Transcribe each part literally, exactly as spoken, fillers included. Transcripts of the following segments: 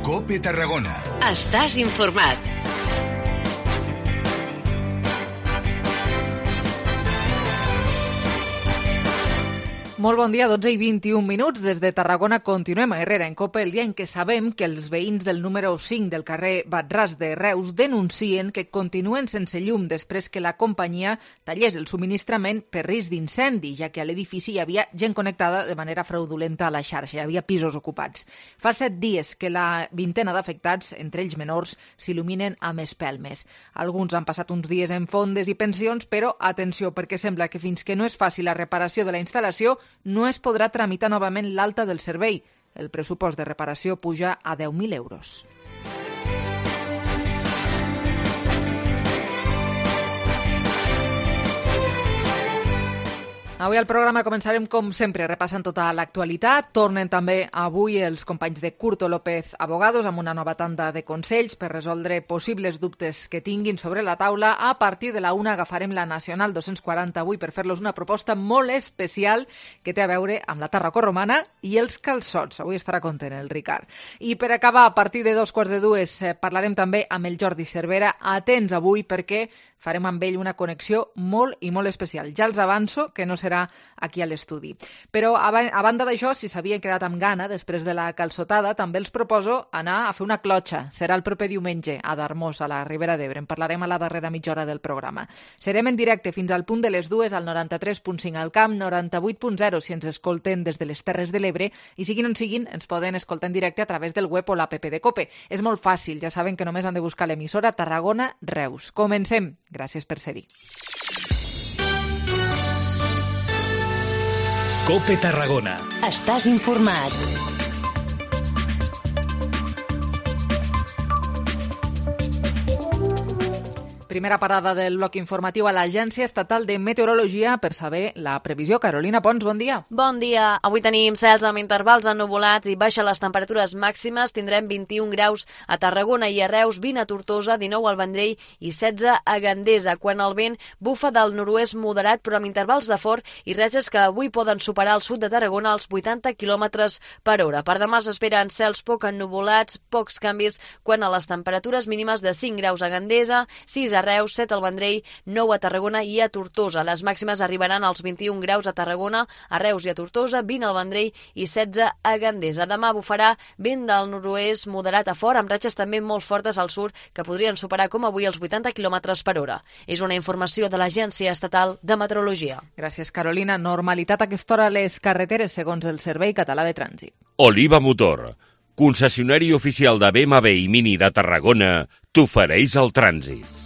COPE Tarragona. Estàs informat. Molt bon dia, dotze i vint-i-un minuts. Des de Tarragona continuem a Herrera en COPE, el dia en què sabem que els veïns del número cinc del carrer Batràs de Reus denuncien que continuen sense llum després que la companyia tallés el subministrament per risc d'incendi, ja que a l'edifici hi havia gent connectada de manera fraudulenta a la xarxa, hi havia pisos ocupats. Fa set dies que la vintena d'afectats, entre ells menors, s'il·luminen amb espelmes. Alguns han passat uns dies en fondes i pensions, però atenció, perquè sembla que fins que no es faci la reparació de la instal·lació no es podrà tramitar novament l'alta del servei. El pressupost de reparació puja a deu mil euros. Avui al programa començarem, com sempre, repassant tota l'actualitat. Tornen també avui els companys de Curto López Abogados amb una nova tanda de consells per resoldre possibles dubtes que tinguin sobre la taula. A partir de la una agafarem la Nacional dos-cents quaranta avui per fer-los una proposta molt especial que té a veure amb la Tarraco romana i els calçots. Avui estarà content el Ricard. I per acabar, a partir de dos quarts de dues, eh, parlarem també amb el Jordi Cervera. Atents avui perquè farem amb ell una connexió molt i molt especial. Ja els avanço que no serà aquí a l'estudi. Però a, a banda d'això, si s'havien quedat amb gana després de la calçotada, també els proposo anar a fer una clotxa. Serà el proper diumenge a Darmós, a la Ribera d'Ebre. En parlarem a la darrera mitja hora del programa. Serem en directe fins al punt de les dues al noranta-tres punt cinc al Camp, noranta-vuit punt zero si ens escolten des de les Terres de l'Ebre i siguin on siguin ens poden escoltar en directe a través del web o l'app de COPE. És molt fàcil, ja saben que només han de buscar l'emissora Tarragona Reus. Comencem. Gràcies per ser-hi. COPE Tarragona. Estàs informat. Primera parada del bloc informatiu a l'Agència Estatal de Meteorologia per saber la previsió. Carolina Pons, bon dia. Bon dia. Avui tenim cels amb intervals ennuvolats i baixen les temperatures màximes. Tindrem vint-i-un graus a Tarragona i a Reus, vint a Tortosa, dinou al Vendrell i setze a Gandesa. Quan el vent bufa del nord-oest moderat però amb intervals de fort i ratxes que avui poden superar al sud de Tarragona els vuitanta quilòmetres per hora. Per demà s'esperen cels poc ennuvolats, pocs canvis quant a les temperatures mínimes de cinc graus a Gandesa, sis a Reus, set al Vendrell, nou a Tarragona i a Tortosa. Les màximes arribaran als vint-i-un graus a Tarragona, a Reus i a Tortosa, vint al Vendrell i setze a Gandesa. Demà bufarà vent del nord-oest moderat a fort, amb ratxes també molt fortes al sud que podrien superar com avui els vuitanta quilòmetres per hora. És una informació de l'Agència Estatal de Meteorologia. Gràcies, Carolina. Normalitat a aquesta hora a les carreteres, segons el Servei Català de Trànsit. Oliva Motor, concessionari oficial de B M W i Mini de Tarragona, t'ofereix el trànsit.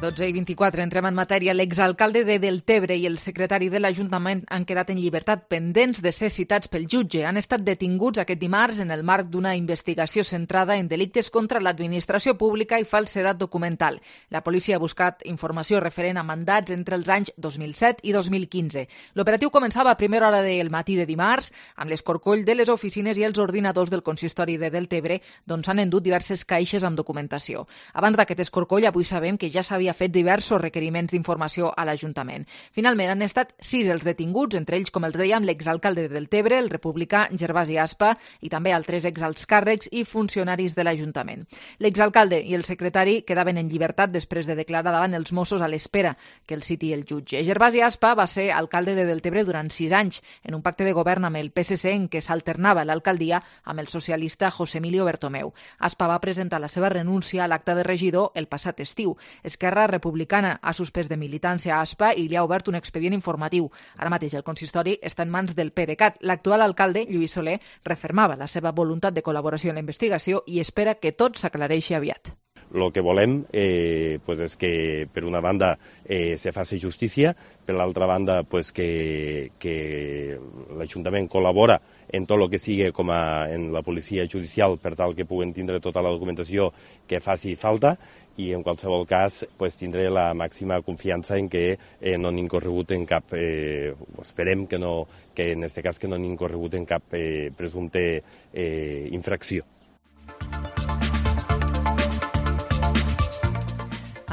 dotze i vint-i-quatre, entrem en matèria. L'exalcalde de Deltebre i el secretari de l'Ajuntament han quedat en llibertat pendents de ser citats pel jutge. Han estat detinguts aquest dimarts en el marc d'una investigació centrada en delictes contra l'administració pública i falsedat documental. La policia ha buscat informació referent a mandats entre els anys dos mil set i dos mil quinze. L'operatiu començava a primera hora del matí de dimarts amb l'escorcoll de les oficines i els ordinadors del consistori de Deltebre, d'on s'han endut diverses caixes amb documentació. Abans d'aquest escorcoll, avui sabem que ja s'havia fet diversos requeriments d'informació a l'Ajuntament. Finalment han estat sis els detinguts, entre ells, com els dèiem, l'exalcalde de Deltebre, el republicà Gervasi Aspa, i també altres exalts càrrecs i funcionaris de l'Ajuntament. L'exalcalde i el secretari quedaven en llibertat després de declarar davant els Mossos a l'espera que el citi el jutge. Gervasi Aspa va ser alcalde de Deltebre durant sis anys, en un pacte de govern amb el P S C en què s'alternava l'alcaldia amb el socialista José Emilio Bertomeu. Aspa va presentar la seva renúncia a l'acte de regidor el passat estiu. Esquerra Republicana ha suspès de militància a Aspa i li ha obert un expedient informatiu. Ara mateix el consistori està en mans del PDeCAT. L'actual alcalde, Lluís Soler, refermava la seva voluntat de col·laboració en la investigació i espera que tot s'aclareixi aviat. El que volem eh, pues és que, per una banda, eh, se faci justícia, per l'altra banda, pues que, que l'Ajuntament col·labora en tot el que sigui com a, en la policia judicial per tal que puguen tindre tota la documentació que faci falta i, en qualsevol cas, pues, tindré la màxima confiança en que eh, no han incorregut en cap, eh, esperem que, no, que en aquest cas que no han incorregut en cap eh, presumpte eh, infracció.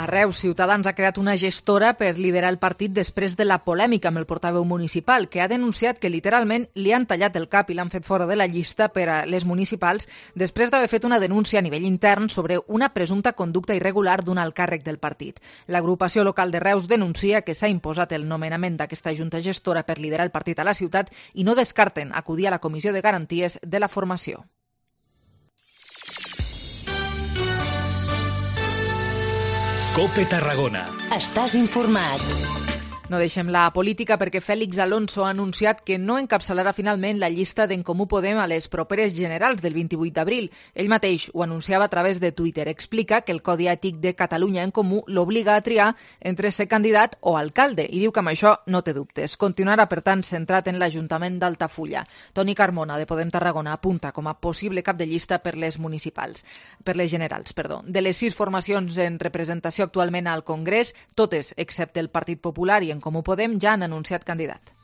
Reus, Ciutadans ha creat una gestora per liderar el partit després de la polèmica amb el portaveu municipal, que ha denunciat que literalment li han tallat el cap i l'han fet fora de la llista per a les municipals després d'haver fet una denúncia a nivell intern sobre una presumpta conducta irregular d'un alt càrrec del partit. L'agrupació local de Reus denuncia que s'ha imposat el nomenament d'aquesta junta gestora per liderar el partit a la ciutat i no descarten acudir a la Comissió de Garanties de la formació. COPE Tarragona. Estàs informat. No deixem la política perquè Félix Alonso ha anunciat que no encapçalarà finalment la llista d'En Comú Podem a les properes generals del vint-i-vuit d'abril. Ell mateix ho anunciava a través de Twitter. Explica que el Codi Ètic de Catalunya en Comú l'obliga a triar entre ser candidat o alcalde i diu que amb això no té dubtes. Continuarà, per tant, centrat en l'Ajuntament d'Altafulla. Toni Carmona, de Podem Tarragona, apunta com a possible cap de llista per les municipals, per les generals, perdó. De les sis formacions en representació actualment al Congrés, totes, excepte el Partit Popular i En Comú Podem, ja han anunciat candidat.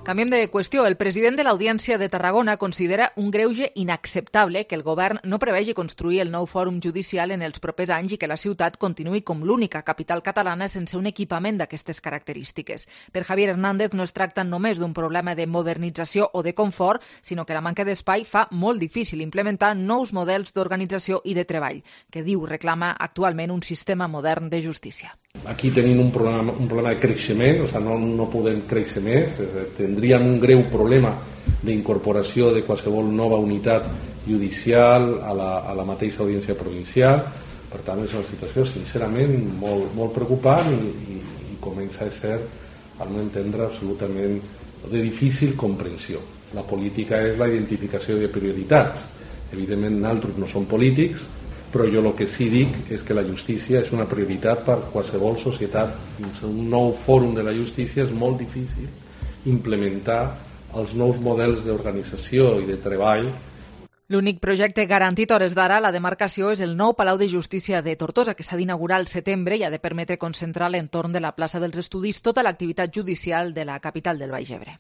Canviem de qüestió. El president de l'Audiència de Tarragona considera un greuge inacceptable que el govern no prevegi construir el nou fòrum judicial en els propers anys i que la ciutat continuï com l'única capital catalana sense un equipament d'aquestes característiques. Per Javier Hernández no es tracta només d'un problema de modernització o de confort, sinó que la manca d'espai fa molt difícil implementar nous models d'organització i de treball, que diu reclama actualment un sistema modern de justícia. Aquí tenim un problema, un problema de creixement, o sigui, no, no podem créixer més, tindríem un greu problema d'incorporació de qualsevol nova unitat judicial a la, a la mateixa audiència provincial. Per tant, és una situació sincerament molt, molt preocupant i, i, i comença a ser, al meu entendre, absolutament de difícil comprensió. La política és la identificació de prioritats. Evidentment, nosaltres no som polítics, però jo el que sí dic és que la justícia és una prioritat per qualsevol societat. Sense un nou fòrum de la justícia és molt difícil implementar els nous models d'organització i de treball. L'únic projecte garantit a hores d'ara a la demarcació és el nou Palau de Justícia de Tortosa, que s'ha d'inaugurar al setembre i ha de permetre concentrar a l'entorn de la plaça dels Estudis tota l'activitat judicial de la capital del Baix Ebre.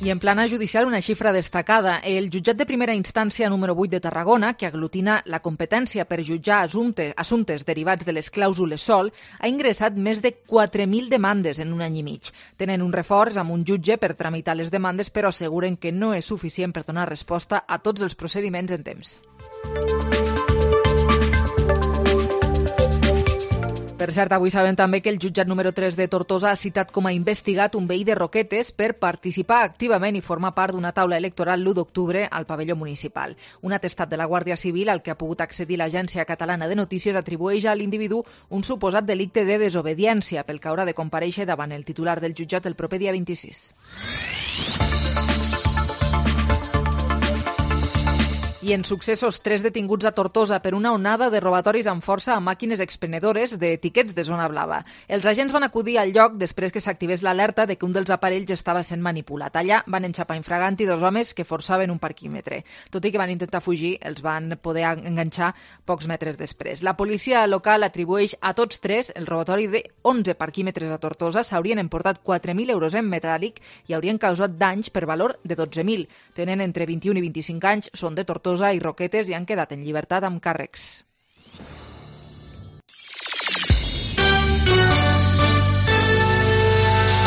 I en plana judicial, una xifra destacada. El jutjat de primera instància número vuit de Tarragona, que aglutina la competència per jutjar assumptes, assumptes derivats de les clàusules sòl, ha ingressat més de quatre mil demandes en un any i mig. Tenen un reforç amb un jutge per tramitar les demandes, però asseguren que no és suficient per donar resposta a tots els procediments en temps. Per cert, avui sabem també que el jutjat número tres de Tortosa ha citat com a investigat un veí de Roquetes per participar activament i formar part d'una taula electoral l'u d'octubre al pavelló municipal. Un atestat de la Guàrdia Civil al que ha pogut accedir l'Agència Catalana de Notícies atribueix a l'individu un suposat delicte de desobediència pel que haurà de comparèixer davant el titular del jutjat el proper dia vint-i-sis. I en successos, tres detinguts a Tortosa per una onada de robatoris amb força a màquines expendedores de tiquets de zona blava. Els agents van acudir al lloc després que s'activés l'alerta de que un dels aparells estava sent manipulat. Allà van enxapar infraganti dos homes que forçaven un parquímetre. Tot i que van intentar fugir, els van poder enganxar pocs metres després. La policia local atribueix a tots tres el robatori de onze parquímetres a Tortosa. S'haurien emportat quatre mil euros en metàl·lic i haurien causat danys per valor de dotze mil. Tenen entre vint-i-un i vint-i-cinc anys, són de Tortosa i Roquetes i han quedat en llibertat amb càrrecs.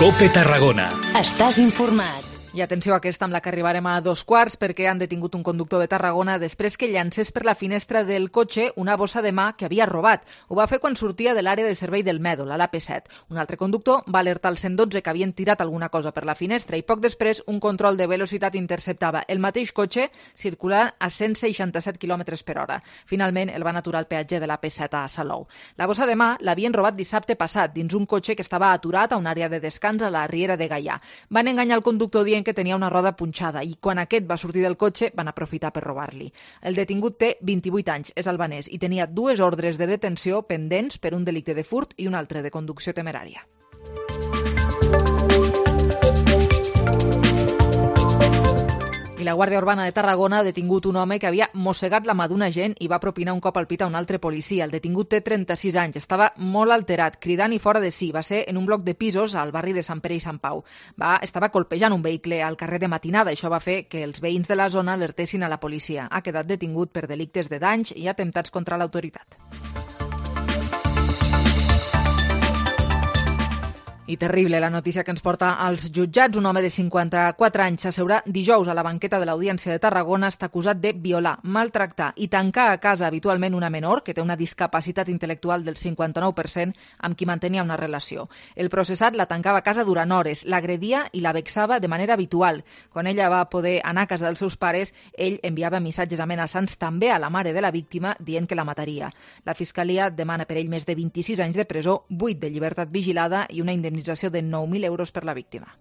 COPE Tarragona. Estàs informat. I atenció a aquesta amb la que arribarem a dos quarts perquè han detingut un conductor de Tarragona després que llancés per la finestra del cotxe una bossa de mà que havia robat. Ho va fer quan sortia de l'àrea de servei del Mèdol, a l'A P set. Un altre conductor va alertar al cent dotze que havien tirat alguna cosa per la finestra i poc després un control de velocitat interceptava el mateix cotxe circulant a cent seixanta-set quilòmetres per hora. Finalment el van aturar al peatge de l'A P set a Salou. La bossa de mà l'havien robat dissabte passat dins un cotxe que estava aturat a una àrea de descans a la Riera de Gaià. Van enganyar el conductor dient que tenia una roda punxada i quan aquest va sortir del cotxe van aprofitar per robar-li. El detingut té vint-i-vuit anys, és albanès i tenia dues ordres de detenció pendents per un delicte de furt i un altre de conducció temerària. I la Guàrdia Urbana de Tarragona ha detingut un home que havia mossegat la mà d'un agent i va propinar un cop al pit a un altre policia. El detingut té trenta-sis anys, estava molt alterat, cridant i fora de si. Va ser en un bloc de pisos al barri de Sant Pere i Sant Pau. Va, estava colpejant un vehicle al carrer de matinada. Això va fer que els veïns de la zona alertessin a la policia. Ha quedat detingut per delictes de danys i atemptats contra l'autoritat. I terrible la notícia que ens porta als jutjats. Un home de cinquanta-quatre anys s'asseurà dijous a la banqueta de l'Audiència de Tarragona. Està acusat de violar, maltractar i tancar a casa habitualment una menor que té una discapacitat intel·lectual del cinquanta-nou per cent amb qui mantenia una relació. El processat la tancava a casa durant hores, l'agredia i la vexava de manera habitual. Quan ella va poder anar a casa dels seus pares, ell enviava missatges amenaçants també a la mare de la víctima dient que la mataria. La Fiscalia demana per ell més de vint-i-sis anys de presó, vuit de llibertat vigilada i una indemnització de nou mil euros per la víctima.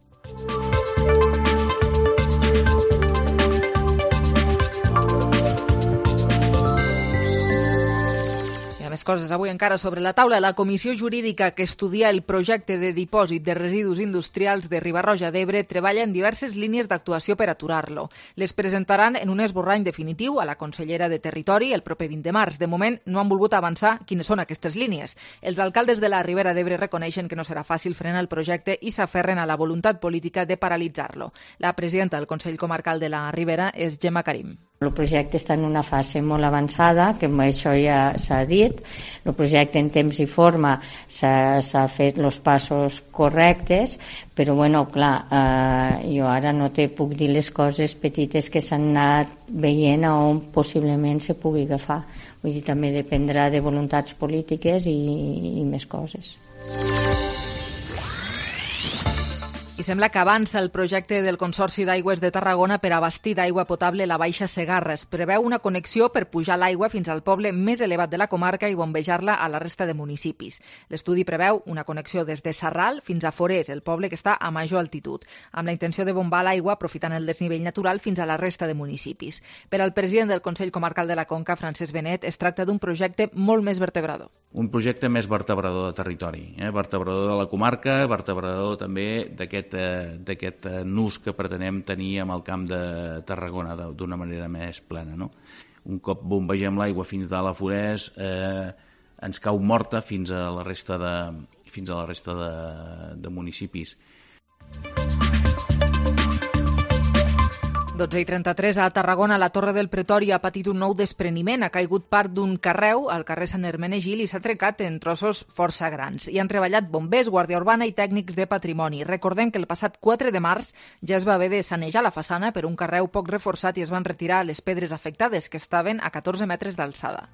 Més coses avui encara sobre la taula. La comissió jurídica que estudia el projecte de dipòsit de residus industrials de Riba-roja d'Ebre treballa en diverses línies d'actuació per aturar-lo. Les presentaran en un esborrany definitiu a la consellera de Territori el proper vint de març. De moment no han volgut avançar quines són aquestes línies. Els alcaldes de la Ribera d'Ebre reconeixen que no serà fàcil frenar el projecte i s'aferren a la voluntat política de paralitzar-lo. La presidenta del Consell Comarcal de la Ribera és Gemma Karim. El projecte està en una fase molt avançada, que això ja s'ha dit. El projecte en temps i forma s'ha fet els passos correctes, però bueno, clar, eh, jo ara no te puc dir les coses petites que s'han anat veient a on possiblement se pugui agafar. Vull dir, també dependrà de voluntats polítiques i, i més coses. I sembla que avança el projecte del Consorci d'Aigües de Tarragona per abastir d'aigua potable la Baixa Segarra. Es preveu una connexió per pujar l'aigua fins al poble més elevat de la comarca i bombejar-la a la resta de municipis. L'estudi preveu una connexió des de Sarral fins a Forès, el poble que està a major altitud, amb la intenció de bombar l'aigua aprofitant el desnivell natural fins a la resta de municipis. Per al president del Consell Comarcal de la Conca, Francesc Benet, es tracta d'un projecte molt més vertebrador. Un projecte més vertebrador de territori, eh? vertebrador de la comarca, vertebrador també d'aquest d'aquest nus que pretenem tenir amb el camp de Tarragona d'una manera més plena. No? Un cop bombegem l'aigua fins a la Forès, eh, ens cau morta fins a la resta de, fins a la resta de, de municipis. dotze i trenta-tres a Tarragona, la Torre del Pretori ha patit un nou despreniment. Ha caigut part d'un carreu al carrer Sant Hermenegil i s'ha trencat en trossos força grans. Hi han treballat bombers, Guàrdia Urbana i tècnics de patrimoni. Recordem que el passat quatre de març ja es va haver de sanejar la façana per un carreu poc reforçat i es van retirar les pedres afectades, que estaven a catorze metres d'alçada.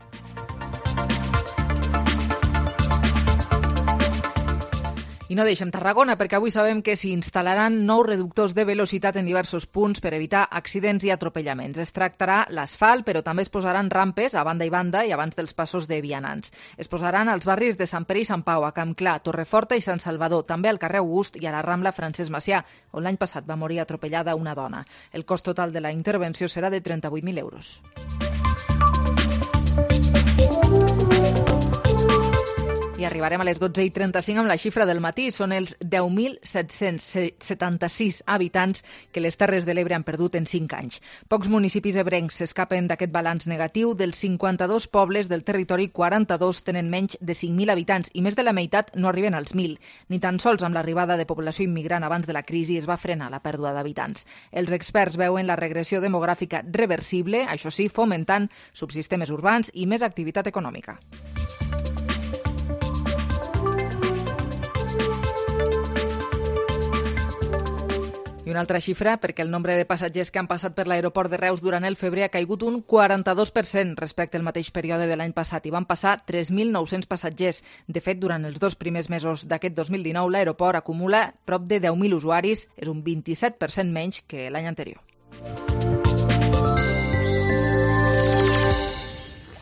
I no deixem Tarragona, perquè avui sabem que s'hi instal·laran nous reductors de velocitat en diversos punts per evitar accidents i atropellaments. Es tractarà l'asfalt, però també es posaran rampes a banda i banda i abans dels passos de vianants. Es posaran als barris de Sant Pere i Sant Pau, a Campclar, Torreforta i Sant Salvador, també al carrer August i a la Rambla Francesc Macià, on l'any passat va morir atropellada una dona. El cost total de la intervenció serà de trenta-vuit mil euros. I arribarem a les dotze i trenta-cinc amb la xifra del matí. Són els deu mil set-cents setanta-sis habitants que les Terres de l'Ebre han perdut en cinc anys. Pocs municipis ebrencs s'escapen d'aquest balanç negatiu. Dels cinquanta-dos pobles del territori, quaranta-dos tenen menys de cinc mil habitants i més de la meitat no arriben als mil. Ni tan sols amb l'arribada de població immigrant abans de la crisi es va frenar la pèrdua d'habitants. Els experts veuen la regressió demogràfica reversible, això sí, fomentant subsistemes urbans i més activitat econòmica. I una altra xifra, perquè el nombre de passatgers que han passat per l'aeroport de Reus durant el febrer ha caigut un quaranta-dos per cent respecte al mateix període de l'any passat i van passar tres mil nou-cents passatgers. De fet, durant els dos primers mesos d'aquest dos mil dinou, l'aeroport acumula prop de deu mil usuaris, és un vint-i-set per cent menys que l'any anterior.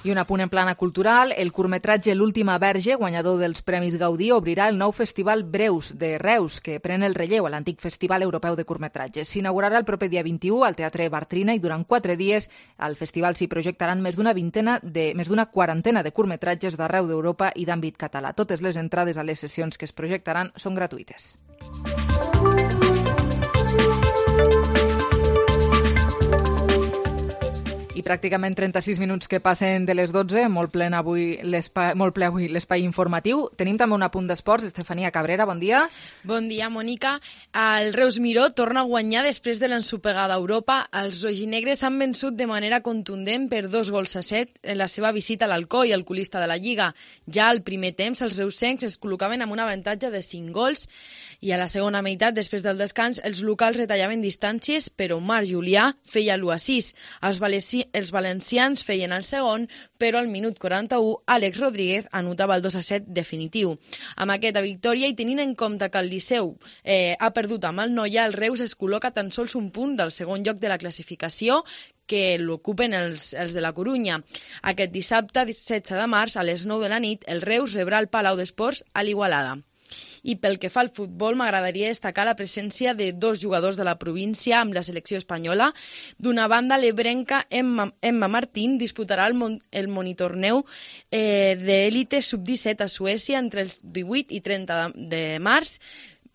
I un apunt en plana cultural, el curtmetratge L'última verge, guanyador dels Premis Gaudí, obrirà el nou Festival Breus de Reus, que pren el relleu a l'antic Festival Europeu de Curtmetratges. S'inaugurarà el proper dia vint-i-u al Teatre Bartrina i durant quatre dies al festival s'hi projectaran més d'una vintena de més d'una quarantena de curtmetratges d'arreu d'Europa i d'àmbit català. Totes les entrades a les sessions que es projectaran són gratuïtes. I pràcticament trenta-sis minuts que passen de les dotze, molt ple avui l'espai, molt ple avui l'espai informatiu. Tenim també un apunt d'esports. Estefania Cabrera, bon dia. Bon dia, Mònica. El Reus Miró torna a guanyar després de l'ensopegada a Europa. Els rojinegres han vençut de manera contundent per dos gols a set en la seva visita a l'Alcoi, el colista de la Lliga. Ja al primer temps, els reusencs es col·locaven amb un avantatge de cinc gols i a la segona meitat, després del descans, els locals retallaven distàncies, però Omar Julià feia l'u a sis. Els, valeci... els valencians feien el segon, però al minut quaranta-u, Àlex Rodríguez anotava el dos a set definitiu. Amb aquesta victòria i tenint en compte que el Liceu eh, ha perdut amb el Noia, el Reus es col·loca tan sols un punt del segon lloc de la classificació, que l'ocupen els, els de la Corunya. Aquest dissabte, setze de març, a les nou de la nit, el Reus rebrà el Palau d'Esports a l'Igualada. I pel que fa al futbol, m'agradaria destacar la presència de dos jugadors de la província amb la selecció espanyola. D'una banda, l'ebrenca Emma, Emma Martín disputarà el, mon, el monitorneu eh, d'élite sub disset a Suècia entre els divuit i trenta de, de març.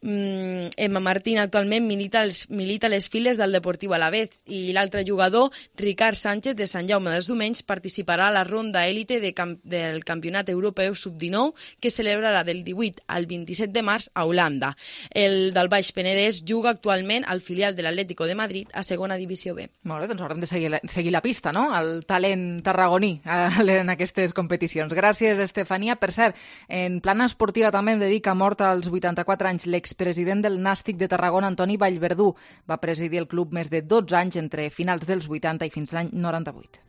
Mm, Emma Martín actualment milita, els, milita les files del Deportiu Alavés i l'altre jugador, Ricard Sánchez de Sant Jaume dels Domenys, participarà a la ronda élite de camp, del Campionat Europeu sub dinou que celebrarà del divuit al vint-i-set de març a Holanda. El del Baix Penedès juga actualment al filial de l'Atlético de Madrid a segona divisió B. Molt bé, doncs haurem de seguir la, seguir la pista, no?, el talent tarragoní en aquestes competicions. Gràcies, Estefania. Per cert, en plana esportiva també em dedica mort als vuitanta-quatre anys l'ex president del Nàstic de Tarragona, Antoni Vallverdú. Va presidir el club més de dotze anys entre finals dels vuitanta i fins l'any noranta-vuit.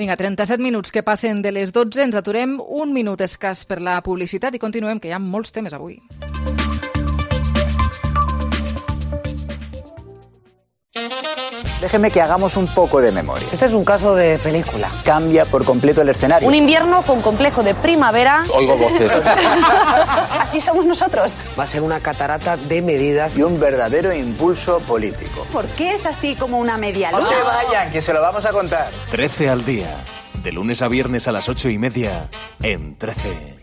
Vinga, trenta-set minuts que passen de les dotze. Ens aturem un minut escàs per la publicitat i continuem, que hi ha molts temes avui. Déjeme que hagamos un poco de memoria. Este es un caso de película. Cambia por completo el escenario. Un invierno con complejo de primavera. Oigo voces. Así somos nosotros. Va a ser una catarata de medidas. Y un verdadero impulso político. ¿Por qué es así como una media luna? No se vayan, que se lo vamos a contar. trece al día. De lunes a viernes a las ocho y media. En trece.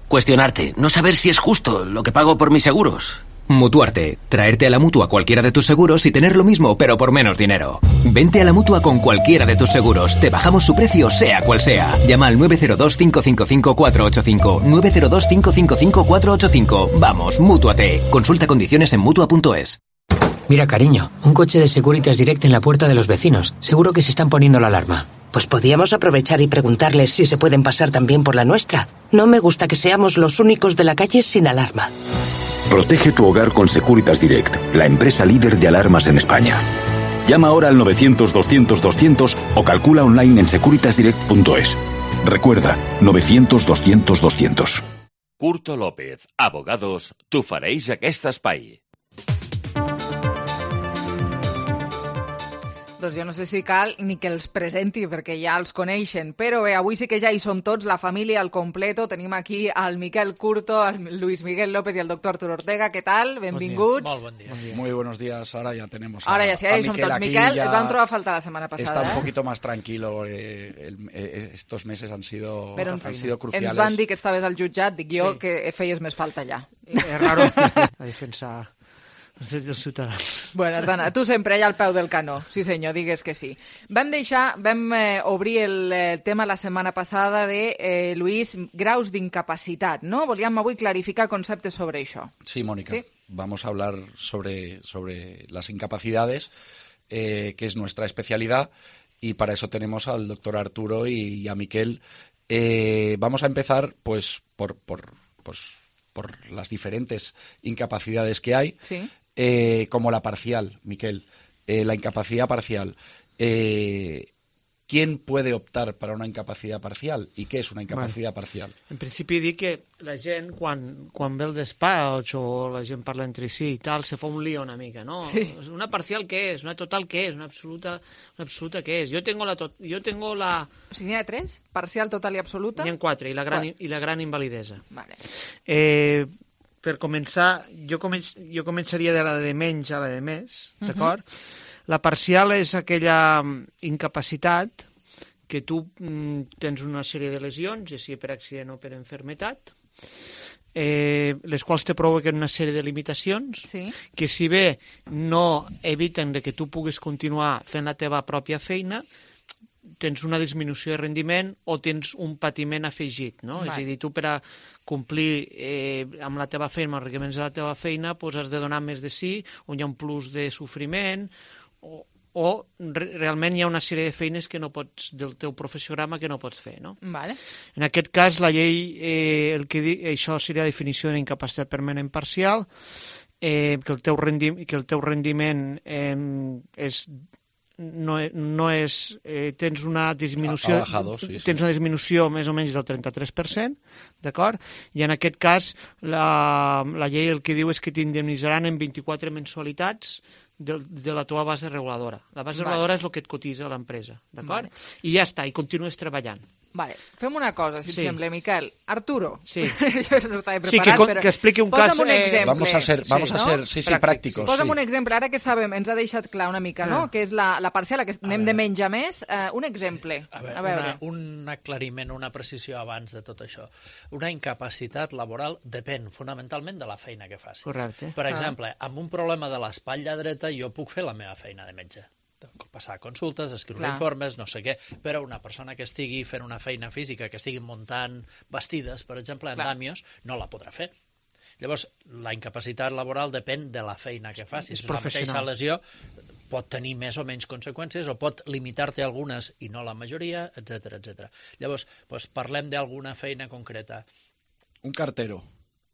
Cuestionarte. No saber si es justo lo que pago por mis seguros. Mutuarte. Traerte a la Mutua cualquiera de tus seguros y tener lo mismo, pero por menos dinero. Vente a la Mutua con cualquiera de tus seguros. Te bajamos su precio, sea cual sea. Llama al nueve cero dos, cinco cinco cinco, cuatro ocho cinco. nueve cero dos, cinco cinco cinco, cuatro ocho cinco. Vamos, Mútuate. Consulta condiciones en Mutua punto es. Mira, cariño, un coche de Securitas Direct en la puerta de los vecinos. Seguro que se están poniendo la alarma. Pues podríamos aprovechar y preguntarles si se pueden pasar también por la nuestra. No me gusta que seamos los únicos de la calle sin alarma. Protege tu hogar con Securitas Direct, la empresa líder de alarmas en España. Llama ahora al novecientos, doscientos, doscientos o calcula online en securitas direct punto es. Recuerda, novecientos, doscientos, doscientos. Curto López, abogados, t'ofereix aquest espai. Doncs jo no sé si cal ni que els presenti, perquè ja els coneixen, però bé, avui sí que ja hi som tots, la família al completo. Tenim aquí al Miquel Curto, al Luis Miguel López y al doctor Arturo Ortega. ¿Qué tal? Benvinguts. Bon buen día. Buen día. Muy buenos días. Ahora ya tenemos a, Ahora ya sí, ahí son todos. Miquel, ya et vam trobar a falta la semana pasada. Está eh? un poquito más tranquilo. Eh, el, eh, estos meses han sido, però, han sido cruciales. Ens van dir que estaves al jutjat, dic jo, sí. que feies més falta allà. És raro a defensar els drets dels ciutadans. Bueno, Dana, tu sempre allà al peu del canó. Sí senyor, digues que sí. Vam deixar, vam eh, obrir el eh, tema la setmana passada de, eh, Luis, graus d'incapacitat, no? Volíem avui clarificar conceptes sobre això. Sí, Mónica. ¿Sí? Vamos a hablar sobre, sobre las incapacidades, eh, que es nuestra especialidad, y para eso tenemos al doctor Arturo y, y a Miquel. Eh, vamos a empezar, pues, por, por, pues, por las diferentes incapacidades que hay. Sí. Eh, como la parcial, Miquel, eh, la incapacidad parcial. Eh, ¿Quién puede optar para una incapacidad parcial? ¿Y qué es una incapacidad bueno, parcial? En principi dic que la gent, quan, quan ve el despatx o la gent parla entre si i tal, se fa un lío una mica, ¿no? Sí. Una parcial, ¿qué es? Una total, ¿qué es? Una absoluta, una absoluta, ¿qué es? Yo tengo la... To yo tengo la... O sigui, n'hi ha tres? Parcial, total i absoluta? N'hi ha quatre, i la gran, i la gran invalidesa. Vale. Eh... Per començar, jo, començ, jo començaria de la de menys a la de més, d'acord? Uh-huh. La parcial és aquella incapacitat que tu mm, tens una sèrie de lesions, ja sigui per accident o per enfermetat, eh, les quals te provoquen una sèrie de limitacions, sí. que si bé no eviten que tu puguis continuar fent la teva pròpia feina, tens una disminució de rendiment o tens un patiment afegit, no? Vale. És a dir, tu per a complir eh, amb la teva feina, amb els requeriments de la teva feina, doncs has de donar més de sí, on hi ha un plus de sofriment, o, o re realment hi ha una sèrie de feines que no pots, del teu professiograma que no pots fer, no? Vale. En aquest cas, la llei, eh, el que di, això seria la definició d'incapacitat permanent parcial, eh, que, el teu rendi, que el teu rendiment eh, és no, no és, eh, tens una disminució, ha bajado, sí, sí. tens una disminució més o menys del trenta-tres per cent, d'acord? I en aquest cas la, la llei el que diu és que t'indemnitzaran en vint-i-quatre mensualitats de, de la teva base reguladora. La base vale. reguladora és el que et cotitza l'empresa, d'acord? Vale. I ja està, i continues treballant. Vale, fem una cosa, si Sí. et sembla, Miquel. Arturo, Sí. jo no estava preparat, Sí, que, però... que expliqui un posa'm cas... un exemple. Vamos a ser, vamos Sí, a ¿no? ser sí, sí, Pràctics. prácticos. Posa'm sí. un exemple, ara que sabem, ens ha deixat clar una mica, no?, que és la, la parcial, que anem de menys a més. Uh, un exemple, A veure, a veure. Una, un aclariment, una precisió abans de tot això. Una incapacitat laboral depèn fonamentalment de la feina que facis. Correcte. Per Ah. exemple, amb un problema de l'espatlla dreta jo puc fer la meva feina de metge. Passar consultes, escriure Clar. informes, no sé què, però una persona que estigui fent una feina física, que estigui muntant vestides, per exemple, Clar. andamios, no la podrà fer. Llavors, la incapacitat laboral depèn de la feina que facis. És La mateixa professional. lesió pot tenir més o menys conseqüències o pot limitar-te algunes i no la majoria, etcètera, etcètera. Llavors, doncs parlem d'alguna feina concreta. Un cartero.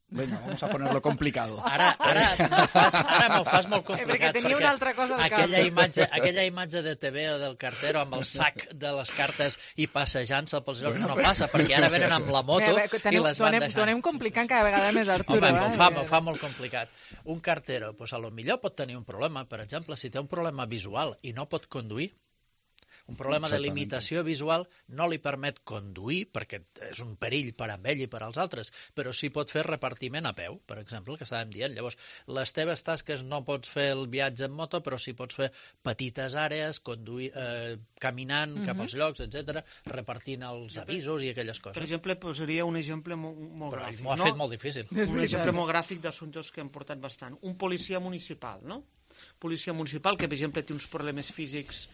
Venga, vamos a ponerlo complicado. Ara, ara m'ho fas, ara m'ho fas molt Eh, perquè complicat. tenia una altra cosa al cap. aquella imatge, aquella imatge de T V o del cartero amb el sac de les cartes i passejant-se pels llocs no passa, perquè ara venen amb la moto Bé, bé, i teniu- les t'ho van anem, deixant. t'ho anem complicant cada vegada més, Arturo. Home, eh? m'ho fa, m'ho fa molt complicat. Un cartero, doncs a lo millor pot tenir un problema, per exemple, si té un problema visual i no pot conduir, un problema de Exactament. limitació visual no li permet conduir, perquè és un perill per a ell i per als altres, però sí pot fer repartiment a peu, per exemple, el que estàvem dient. Llavors, les teves tasques no pots fer el viatge en moto, però sí pots fer petites àrees, conduir, eh, caminant cap als llocs, etcètera, repartint els avisos i aquelles coses. Per exemple, posaria un exemple molt, molt Però gràfic. m'ho ha no? fet molt difícil. Un exemple molt gràfic d'assumptes que hem portat bastant. Un policia municipal, no? Policia municipal que, per exemple, té uns problemes físics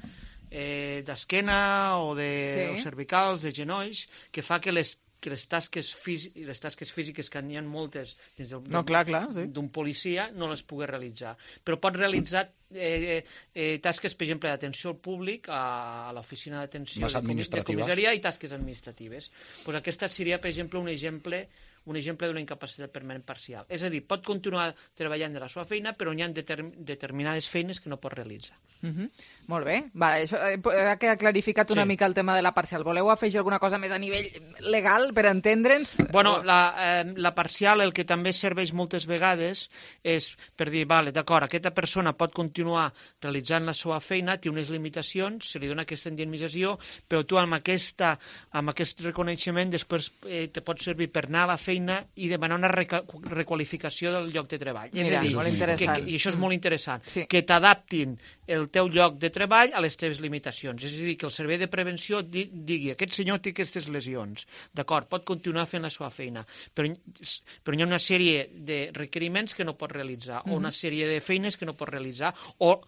eh, d'esquena o de Sí. o cervicals, de genolls, que fa que les que les tasques, fí les tasques físiques, que n'hi ha moltes dins del, No, clar, clar, sí. d'un policia, no les pugui realitzar. Però pot realitzar eh, eh, tasques, per exemple, d'atenció al públic, a, a l'oficina d'atenció Més de, comi- de administratives. comissaria i tasques administratives. Pues aquesta seria, per exemple, un exemple un exemple d'una incapacitat permanent parcial. És a dir, pot continuar treballant de la seva feina, però hi ha determ determinades feines que no pot realitzar. Uh -huh. Molt bé. Vale, això, eh, ha quedat clarificat una Sí. mica el tema de la parcial. Voleu afegir alguna cosa més a nivell legal per entendre'ns? Bueno, la, eh, la parcial el que també serveix moltes vegades és per dir, vale, d'acord, aquesta persona pot continuar realitzant la seva feina, té unes limitacions, se li dona aquesta indemnització, però tu amb, aquesta, amb aquest reconeixement després eh, te pot servir per anar a la feina i demanar una reca requalificació del lloc de treball. Mira, és a dir, molt que, interessant. que, i això és molt interessant, Sí. que t'adaptin el teu lloc de treball a les teves limitacions. És a dir, que el servei de prevenció di digui aquest senyor té aquestes lesions, d'acord, pot continuar fent la seva feina, però, però hi ha una sèrie de requeriments que no pot realitzar, Mhm. o una sèrie de feines que no pot realitzar, o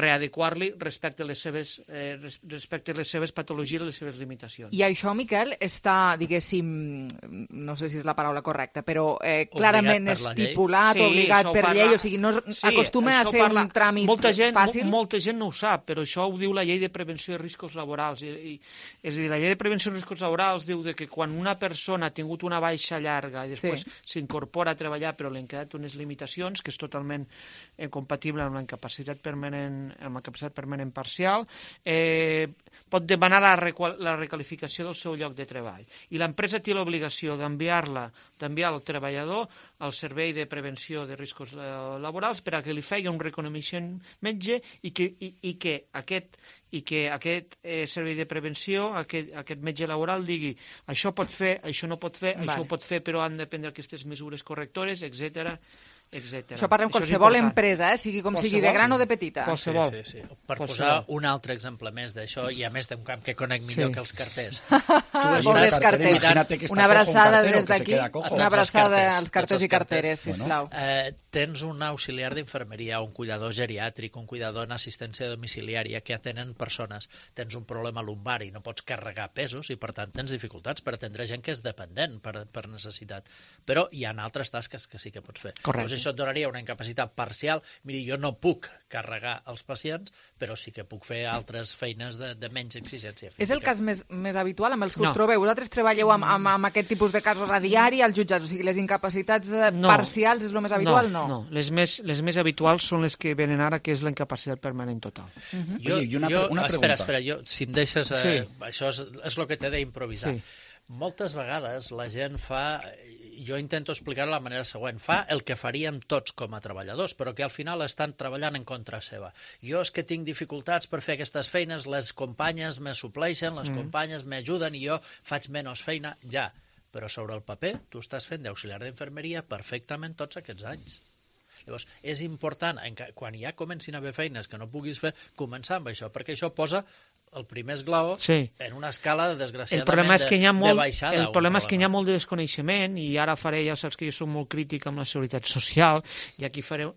readequar-li respecte a les seves, eh, respecte a les seves patologies i les seves limitacions. I això, Miquel, està, diguéssim, no sé si és la paraula correcta, però eh, clarament per la llei. estipulat, Sí, obligat això per parla- llei, o sigui, no es- Sí, acostuma a això ser parla- un tràmit molta gent, fàcil? mo- molta gent no ho sap, però això ho diu la llei de prevenció de riscos laborals. I, i, és a dir, la llei de prevenció de riscos laborals diu de que quan una persona ha tingut una baixa llarga i després s'incorpora a treballar però li han quedat unes limitacions, que és totalment eh, compatible amb la incapacitat permanent, amb la capacitat permanent parcial, eh, pot demanar la, requal la recalificació del seu lloc de treball. I l'empresa té l'obligació d'enviar-la, d'enviar el treballador al servei de prevenció de riscos eh, laborals per a que li faci un reconeixement metge i que, i, i que aquest i que aquest eh, servei de prevenció, aquest, aquest metge laboral digui això pot fer, això no pot fer, Vale. això ho pot fer però han de prendre aquestes mesures correctores, etcètera. etcètera. Això parlem qualsevol empresa, eh? sigui com qualsevol, sigui de gran sí. o de petita. Qualsevol. Sí, sí, sí. Per qualsevol. Posar un altre exemple més d'això, i a més d'un camp que conec millor sí. que els carters. Tu estàs carters. Una abraçada des d'aquí, una abraçada als carters i carteres, sisplau. Bueno. Eh, tens un auxiliar d'infermeria, un cuidador geriàtric, un cuidador en assistència domiciliària que atenen persones. Tens un problema lumbar i no pots carregar pesos i, per tant, tens dificultats per atendre gent que és dependent per, per necessitat. Però hi ha altres tasques que sí que pots fer. Correcte. Llavors, això et donaria una incapacitat parcial. Miri, jo no puc carregar els pacients, però sí que puc fer altres feines de, de menys exigència física. És el cas més, més habitual amb els que no. us trobeu? Vosaltres treballeu amb, amb, amb aquest tipus de casos a diari als jutjats? O sigui, les incapacitats no. parcials és el més habitual? No, no. no. Les, més, les més habituals són les que venen ara, que és la incapacitat permanent total. Uh -huh. Jo, Oye, una, jo, una espera, espera, jo, si em deixes... Eh, sí. Això és, és el que t'he d'improvisar. Sí. Moltes vegades la gent fa... Jo intento explicar-ho de la manera següent. Fa el que faríem tots com a treballadors, però que al final estan treballant en contra seva. Jo és que tinc dificultats per fer aquestes feines, les companyes me supleixen, les mm. companyes m'ajuden i jo faig menys feina, ja. Però sobre el paper tu estàs fent d'auxiliar d'infermeria perfectament tots aquests anys. Llavors, és important, quan ja comencin a haver feines que no puguis fer, començar amb això, perquè això posa el primer esglaó sí. en una escala, desgraciadament, el problema és que hi ha molt, de baixada. El problema és que hi ha molt de desconeixement, i ara faré, ja saps que jo soc molt crític amb la seguretat social, i aquí faré,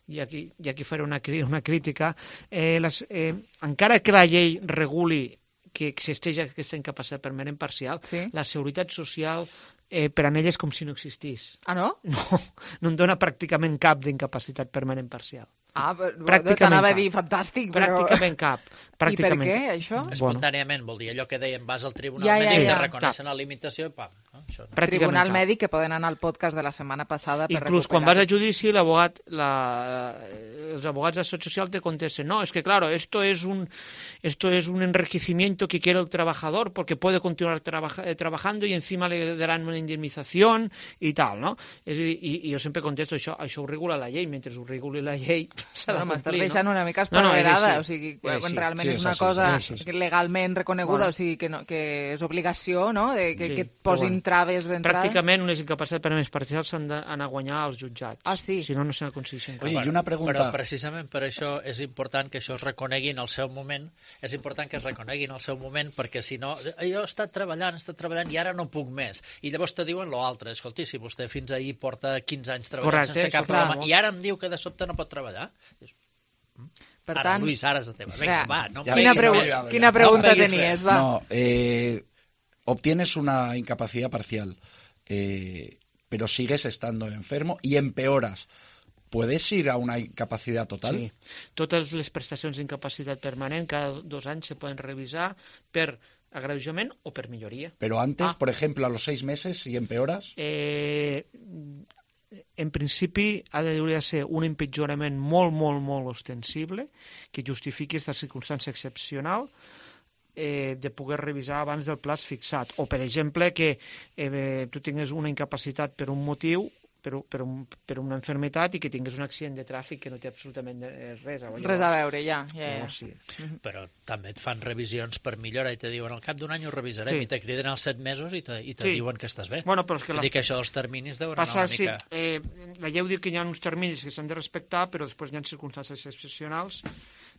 i aquí, i aquí faré una, una crítica. Eh, les, eh, encara que la llei reguli que existeix aquesta incapacitat permanent parcial, sí. la seguretat social eh, per a ella és com si no existís. Ah, no? No, no en dona pràcticament cap d'incapacitat permanent parcial. Ah, però t'anava a dir fantàstic, però... Pràcticament cap. Pràcticament. I per què, això? Espontàniament, vol dir allò que dèiem, vas al tribunal ja, mèdic, ja, ja. te reconeixen la limitació i pam. No? Això no. Tribunal cap. Mèdic, que poden anar al podcast de la setmana passada per Inclús recuperar. Quan vas a judici, l'abogat, la, els abogats de la Seguridad Social te contesten, no, es que claro, esto es un, esto es un enriquecimiento que quiere el trabajador porque puede continuar trabaja, eh, trabajando y encima le darán una indemnización y tal, no? És a dir, i, i jo sempre contesto, això, això ho regula la llei, mentre ho reguli la llei s'ha de complir. Deixant una mica esparverada, no, no, o sigui, quan sí, realment sí, és una sí, cosa sí, sí, sí. legalment reconeguda, bueno. o sigui, que, no, que és obligació, no?, de, que, sí, que et posin bueno, traves d'entrada. Pràcticament unes incapacitats permanents parcials s'han d'anar a guanyar als jutjats. Ah, sí? Si no, no se n'aconsegueixen. Oye, i una pregunta... Però precisament per això és important que això es reconegui en el seu moment, és important que es reconegui en el seu moment, perquè si no, jo he estat treballant, he estat treballant i ara no puc més. I llavors te diuen l'altre, escolti, si vostè fins ahir porta quinze anys treballant Correcte, sense cap problema, i ara em diu que de sobte no pot treballar... Per ara, tant, Luis, ara és el tema. Venga, va, no ja, quina, pregu ja, ja, quina pregunta no tenies? Va. No, eh, obtienes una incapacidad parcial, eh, pero sigues estando enfermo y empeoras. ¿Puedes ir a una incapacidad total? Sí. Totes les prestacions d'incapacitat permanent cada dos anys se poden revisar per agreujament o per milloria. Pero antes, ah. por ejemplo, a los seis meses, si empeoras... Eh... En principi ha de ser un empitjorament molt, molt, molt ostensible que justifiqui aquesta circumstància excepcional eh, de poder revisar abans del plaç fixat. O, per exemple, que eh, tu tingues una incapacitat per un motiu, per, per, un, per una enfermetat, i que tingues un accident de tràfic que no té absolutament res a veure. Res a veure, ja. ja, ja. Oh, sí. Mm-hmm. Però també et fan revisions per millora i te diuen al cap d'un any ho revisarem sí. i te criden als set mesos i te, i te sí. diuen que estàs bé. Bueno, però és que les... dir que això dels terminis deuen Passa, anar una mica... Sí, eh, la llei diu que hi ha uns terminis que s'han de respectar, però després hi ha circumstàncies excepcionals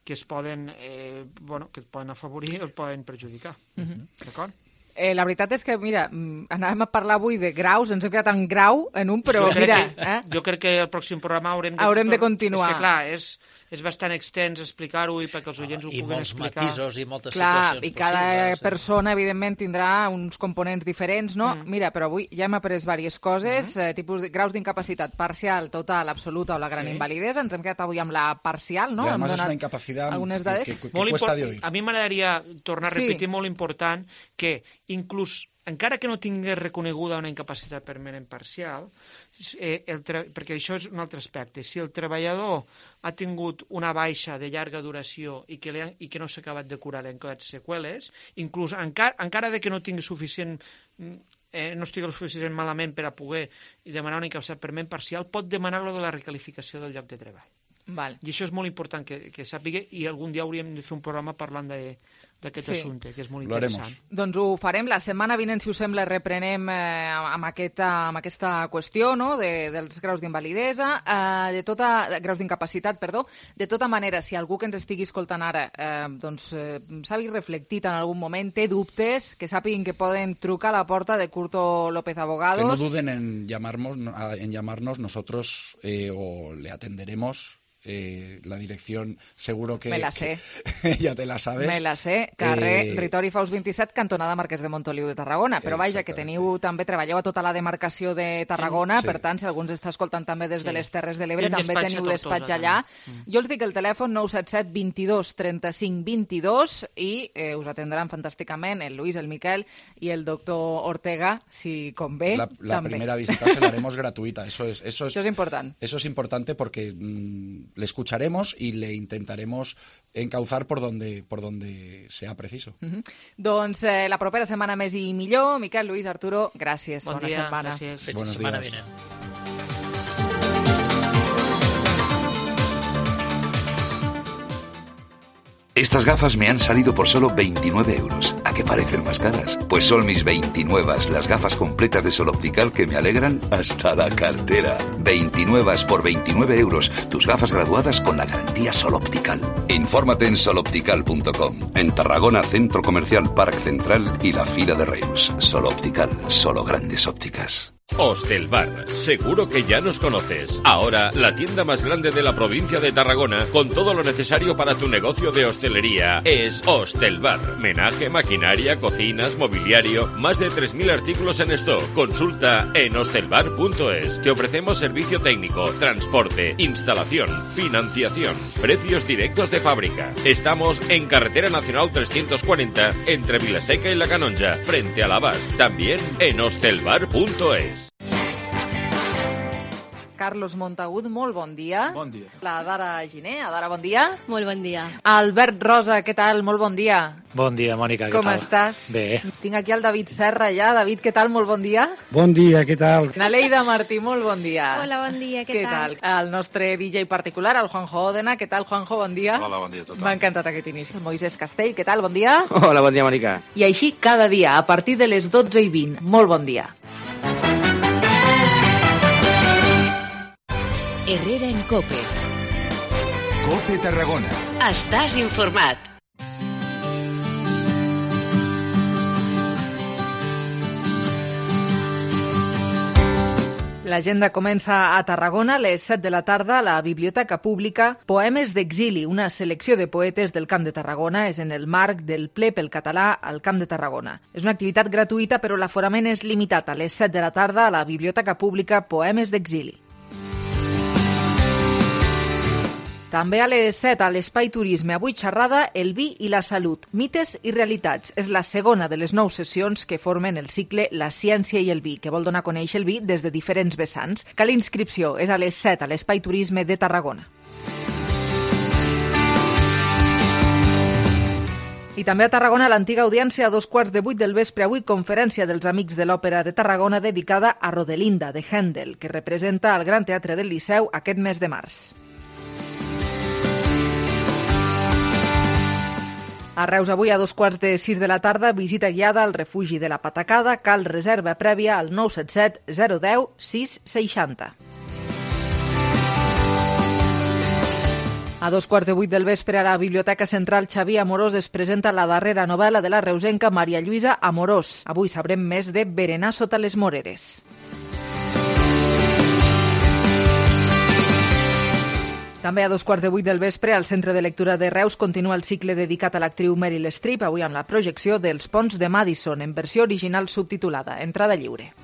que es poden, eh, bueno, que et poden afavorir o et poden perjudicar. Mm-hmm. D'acord? Eh, la veritat és que, mira, anàvem a parlar avui de graus, ens hem quedat en grau en un, però jo mira... Que, eh? Jo crec que el pròxim programa haurem de... Haurem de continuar. És que, clar, és... és bastant extens explicar-ho i perquè els oients ho I puguin explicar. I molts matisos i moltes Clar, situacions i cada possibles. persona, evidentment, tindrà uns components diferents, no? Mm. Mira, però avui ja hem après diverses coses, mm. eh, tipus de graus d'incapacitat parcial, total, absoluta o la gran sí. invalidesa. Ens hem quedat avui amb la parcial, no? I además és una incapacitat que, que, que, que cuesta de oír. A mi m'agradaria tornar a repetir sí. molt important que inclús encara que no tingués reconeguda una incapacitat permanent parcial, eh, el perquè això és un altre aspecte, si el treballador ha tingut una baixa de llarga duració i que, ha, i que no s'ha acabat de curar en quedat seqüeles, inclús encara, encara de que no tingui suficient, eh, no estigui suficient malament per a poder demanar una incapacitat permanent parcial, pot demanar-lo de la recalificació del lloc de treball. Val. I això és molt important que, que sàpiga, i algun dia hauríem de fer un programa parlant de d'aquest Sí. assumpte, que és molt Lo haremos. interessant. Doncs ho farem. La setmana vinent, si us sembla, reprenem eh, amb, aquesta, amb aquesta qüestió, no?, de, dels graus d'invalidesa, eh, de tota, de graus d'incapacitat, perdó. De tota manera, si algú que ens estigui escoltant ara eh, doncs, eh, s'ha vist reflectit en algun moment, té dubtes, que sàpiguen que poden trucar a la porta de Curto López Abogados. Que no duden en llamarnos, en llamarnos nosotros eh, o le atenderemos. Eh, la dirección seguro que... Me la sé. Que ya te la sabes. Me la sé. Carrer Eh, Ritori Faus vint-i-set, cantonada Marquès de Montoliu de Tarragona. Però vaja, que teniu també, treballeu a tota la demarcació de Tarragona, Sí. per tant, si algú ens està escoltant també des de Sí. les Terres de l'Ebre, Tenim també despatx a teniu Tortosa, despatx allà. també. Jo els dic el telèfon nou set set vint-i-dos trenta-cinc vint-i-dos i eh, us atendran fantàsticament el Luis, el Miquel i el doctor Ortega, si convé, La, la també. primera visita se la haremos gratuita. Eso es, eso es, Això és important. Eso es importante porque mmm, le escucharemos y le intentaremos encauzar por donde, por donde sea preciso. Uh -huh. Doncs eh, la propera setmana més i millor. Miquel, Luis, Arturo, gràcies. Bon Bona dia, setmana. gràcies. Fins la Buenos setmana días. vinent. Estas gafas me han salido por solo veintinueve euros. ¿A qué parecen más caras? Pues son mis veintinueve, las gafas completas de Sol Optical que me alegran hasta la cartera. veintinueve por veintinueve euros. Tus gafas graduadas con la garantía Sol Optical. Infórmate en sol optical punto com. En Tarragona, Centro Comercial Parc Central y la Fira de Reus. Sol Optical, solo grandes ópticas. Hostelbar, seguro que ya nos conoces. Ahora, la tienda más grande de la provincia de Tarragona, con todo lo necesario para tu negocio de hostelería, es Hostelbar. Menaje, maquinaria, cocinas, mobiliario, más de tres mil artículos en stock. Consulta en hostelbar punto es. Te ofrecemos servicio técnico, transporte, instalación, financiación, precios directos de fábrica. Estamos en Carretera Nacional trescientos cuarenta, entre Vilaseca y La Canonja, frente a la Abast. También en hostelbar punto es. Carlos Montagut, molt bon dia. Bon dia. La Dara Giner, Adara, bon dia. Molt bon dia. Albert Rosa, què tal? Molt bon dia. Bon dia, Mònica, què Com tal? estàs? Bé. Tinc aquí el David Serra ja. David, què tal? Molt bon dia. Bon dia, què tal? Naleida Martí, molt bon dia. Hola, bon dia, què, Què tal? El nostre D J particular, el Juanjo Òdena. Què tal, Juanjo? Bon dia. Hola, bon dia a tothom. M'ha encantat aquest inici. El Moisés Castell, què tal? Bon dia. Hola, bon dia, Mònica. I així cada dia, a partir de les dotze i vint. Molt bon dia. Herrera en Cope. Cope Tarragona. Estàs informat. L'agenda comença a Tarragona a les set de la tarda a la Biblioteca Pública. Poemes d'exili, una selecció de poetes del Camp de Tarragona, és en el marc del ple pel català al Camp de Tarragona. És una activitat gratuïta, però l'aforament és limitat. A les set de la tarda a la Biblioteca Pública, Poemes d'exili. També a les set, a l'Espai Turisme, avui xerrada El vi i la salut, mites i realitats. És la segona de les nou sessions que formen el cicle La ciència i el vi, que vol donar a conèixer el vi des de diferents vessants. Cal inscripció, és a les set, a l'Espai Turisme de Tarragona. I també a Tarragona, l'antiga audiència a dos quarts de vuit del vespre, avui conferència dels Amics de l'Òpera de Tarragona dedicada a Rodelinda, de Händel, que representa al Gran Teatre del Liceu aquest mes de març. A Reus, avui a dos quarts de sis de la tarda, visita guiada al refugi de la Patacada. Cal reserva prèvia al nou set set zero deu sis seixanta. A dos quarts de vuit del vespre a la Biblioteca Central Xavier Amorós es presenta la darrera novel·la de la reusenca Maria Lluïsa Amorós. Avui sabrem més de Berenar sota les moreres. També a dos quarts de vuit del vespre, al Centre de Lectura de Reus continua el cicle dedicat a l'actriu Meryl Streep, avui amb la projecció dels Ponts de Madison, en versió original subtitulada. Entrada lliure.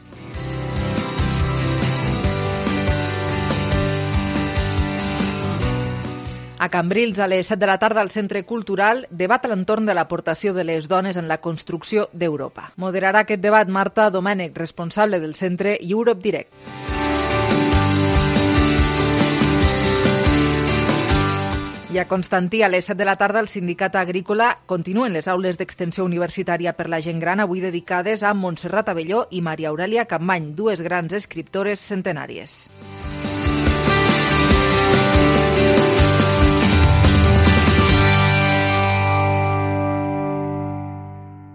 A Cambrils, a les set de la tarda, al Centre Cultural, debat a l'entorn de l'aportació de les dones en la construcció d'Europa. Moderarà aquest debat Marta Domènech, responsable del centre Europe Direct. I a Constantí, a les set de la tarda, el Sindicat Agrícola continuen les aules d'extensió universitària per la gent gran, avui dedicades a Montserrat Abelló i Maria Aurèlia Capmany, dues grans escriptores centenàries.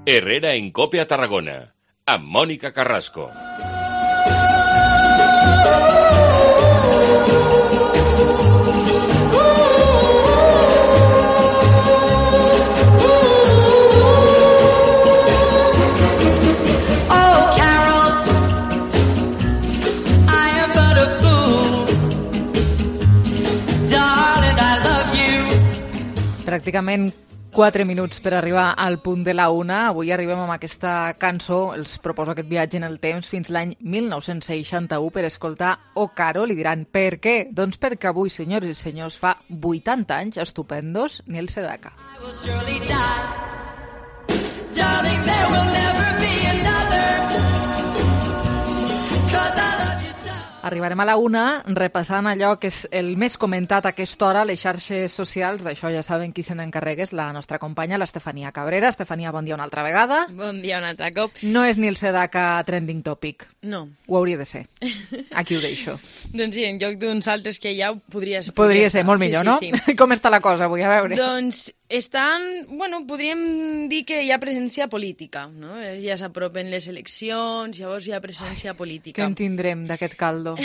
Herrera en Cope a Tarragona, amb Mònica Carrasco. Pràcticament quatre minuts per arribar al punt de la una. Avui arribem amb aquesta cançó. Els proposo aquest viatge en el temps fins l'any mil nou-cents seixanta-u per escoltar O Carol. I diran, per què? Doncs perquè avui, senyors i senyors, fa vuitanta anys estupendos Neil Sedaka. Arribarem a la una repassant allò que és el més comentat a aquesta hora a les xarxes socials. D'això ja saben qui se n'encarrega, és la nostra companya, l'Estefania Cabrera. Estefania, bon dia una altra vegada. Bon dia un altre cop. No és Neil Sedaka trending topic. No. Ho hauria de ser. Aquí ho deixo. Doncs sí, en lloc d'uns altres que hi ha, podria ser. Podria, podria ser, molt millor, sí, sí, no? Sí. Com està la cosa avui? A veure. Doncs estan, bueno, podríem dir que hi ha presència política, no? Ja s'apropen les eleccions, llavors hi ha presència política. Què en tindrem d'aquest caldo?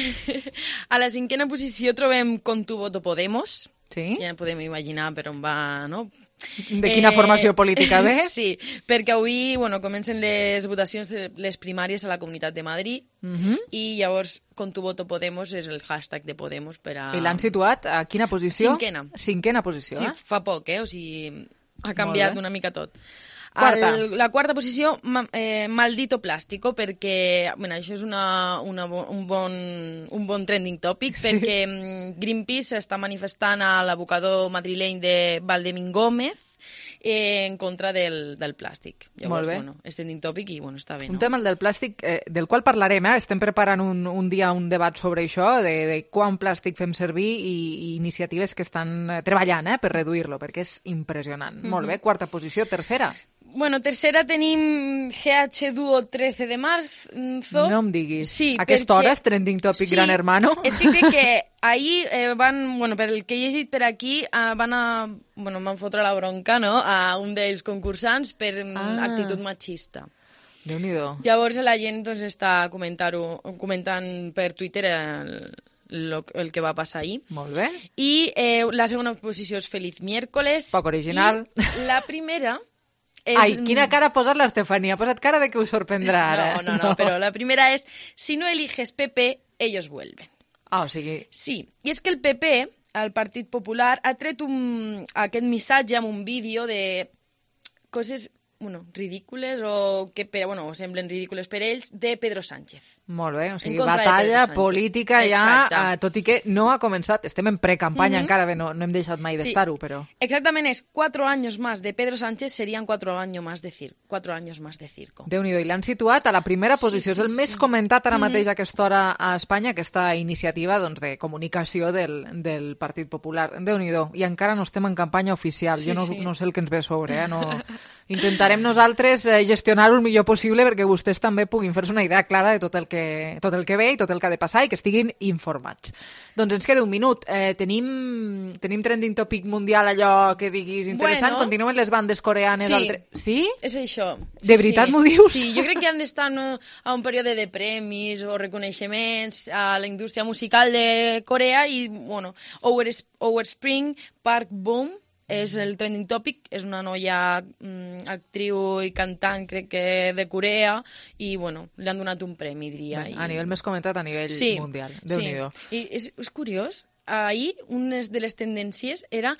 A la cinquena posició trobem Con tu voto Podemos. Sí? Ja podem imaginar per on va, no? De quina eh... formació política ve? Sí, perquè avui, bueno, comencen les votacions, les primàries a la Comunitat de Madrid, uh-huh. i llavors Con tu voto Podemos és el hashtag de Podemos per a... I l'han situat a quina posició? Cinquena. Cinquena posició, sí, eh? fa poc, eh? O sigui, ha canviat una mica tot. Quarta. El, la quarta posició, ma, eh, Maldito Plástico, perquè bueno, això és una, una, un, bon, un bon trending topic, sí. Perquè Greenpeace està manifestant a l'abocador madrileny de Valdemín Gómez eh, en contra del, del plàstic. Llavors, bueno, és trending topic i bueno, està bé, no? Un tema, el del plàstic, eh, del qual parlarem, eh? Estem preparant un, un dia un debat sobre això, de, de quant plàstic fem servir i, i iniciatives que estan treballant eh, per reduir-lo, perquè és impressionant. Mm-hmm. Molt bé, quarta posició. Tercera. Bueno, tercera tenim G H Duo trece de marzo. No em diguis. Sí, aquesta perquè... hora és trending topic, sí, Gran Hermano. És que crec que ahir eh, van, bueno, per el que he llegit per aquí, eh, van a, bueno, van fotre la bronca, no?, a un dels concursants per ah. actitud machista. Déu-n'hi-do. Llavors la gent doncs, està comentant-ho, comentant per Twitter el, el, el que va passar ahir. Molt bé. I eh, la segona posició és Feliz Miércoles. Poc original. I la primera... És... Ai, quina cara ha posat l'Estefania. Ha posat cara de que us sorprendrà ara. No, no, no, no, però la primera és si no eliges P P, ellos vuelven. Ah, o sigui... Sí, i és que el P P, el Partit Popular, ha tret un, aquest missatge amb un vídeo de coses, bueno, ridícules o que però, bueno, semblen ridícules per ells, de Pedro Sánchez. Molt bé, o sigui, batalla política ja, eh, tot i que no ha començat, estem en precampanya, mm-hmm. encara bé, no, no hem deixat mai d'estar-ho, sí, però... Exactament, és cuatro años más de Pedro Sánchez serían cuatro años más de circo. Cuatro años más de circo. Déu-n'hi-do, i l'han situat a la primera posició, sí, sí, és el sí. més comentat ara mateix mm-hmm. a aquesta hora a Espanya, aquesta iniciativa doncs, de comunicació del, del Partit Popular. Déu-n'hi-do, i encara no estem en campanya oficial, sí, jo no, sí. no sé el que ens ve a sobre, eh? No... Intentarem nosaltres eh, gestionar-ho el millor possible perquè vostès també puguin fer-se una idea clara de tot el, que, tot el que ve i tot el que ha de passar i que estiguin informats. Doncs ens queda un minut. Eh, tenim, tenim trending topic mundial, allò que diguis interessant. Bueno, continuen les bandes coreanes. Sí, altre... sí? És això. De veritat sí. m'ho dius? Sí, jo crec que han d'estar no, a un període de premis o reconeixements a la indústria musical de Corea i, bueno, Our, Our Spring, Park Boom, és el trending topic, és una noia mm, actriu i cantant, crec que de Corea, i bueno, li han donat un premi, diria. Bé, i... A nivell més comentat, a nivell sí, mundial. Déu-n'hi-do. Sí. I és, és curiós, ahir una de les tendències era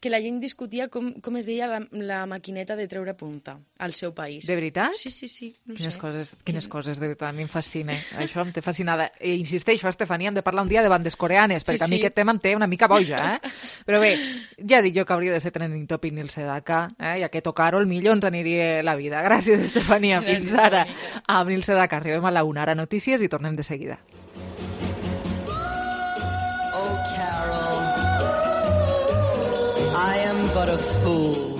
que la gent discutia com, com es deia la, la maquineta de treure punta al seu país. De veritat? Sí, sí, sí. No quines sé. coses, quines coses, de veritat, a mi em fascina. Això em té fascinada. I insisteixo, Estefania, hem de parlar un dia de bandes coreanes, perquè sí, sí. a mi aquest tema em té una mica boja, eh? Però bé, ja dic jo que hauria de ser trending topic Neil Sedaka, eh? I aquest O Carol millor ens aniria la vida. Gràcies, Estefania. Gràcies, fins ara. Amb Neil Sedaka arribem a la una, ara notícies i tornem de seguida. I am but a fool.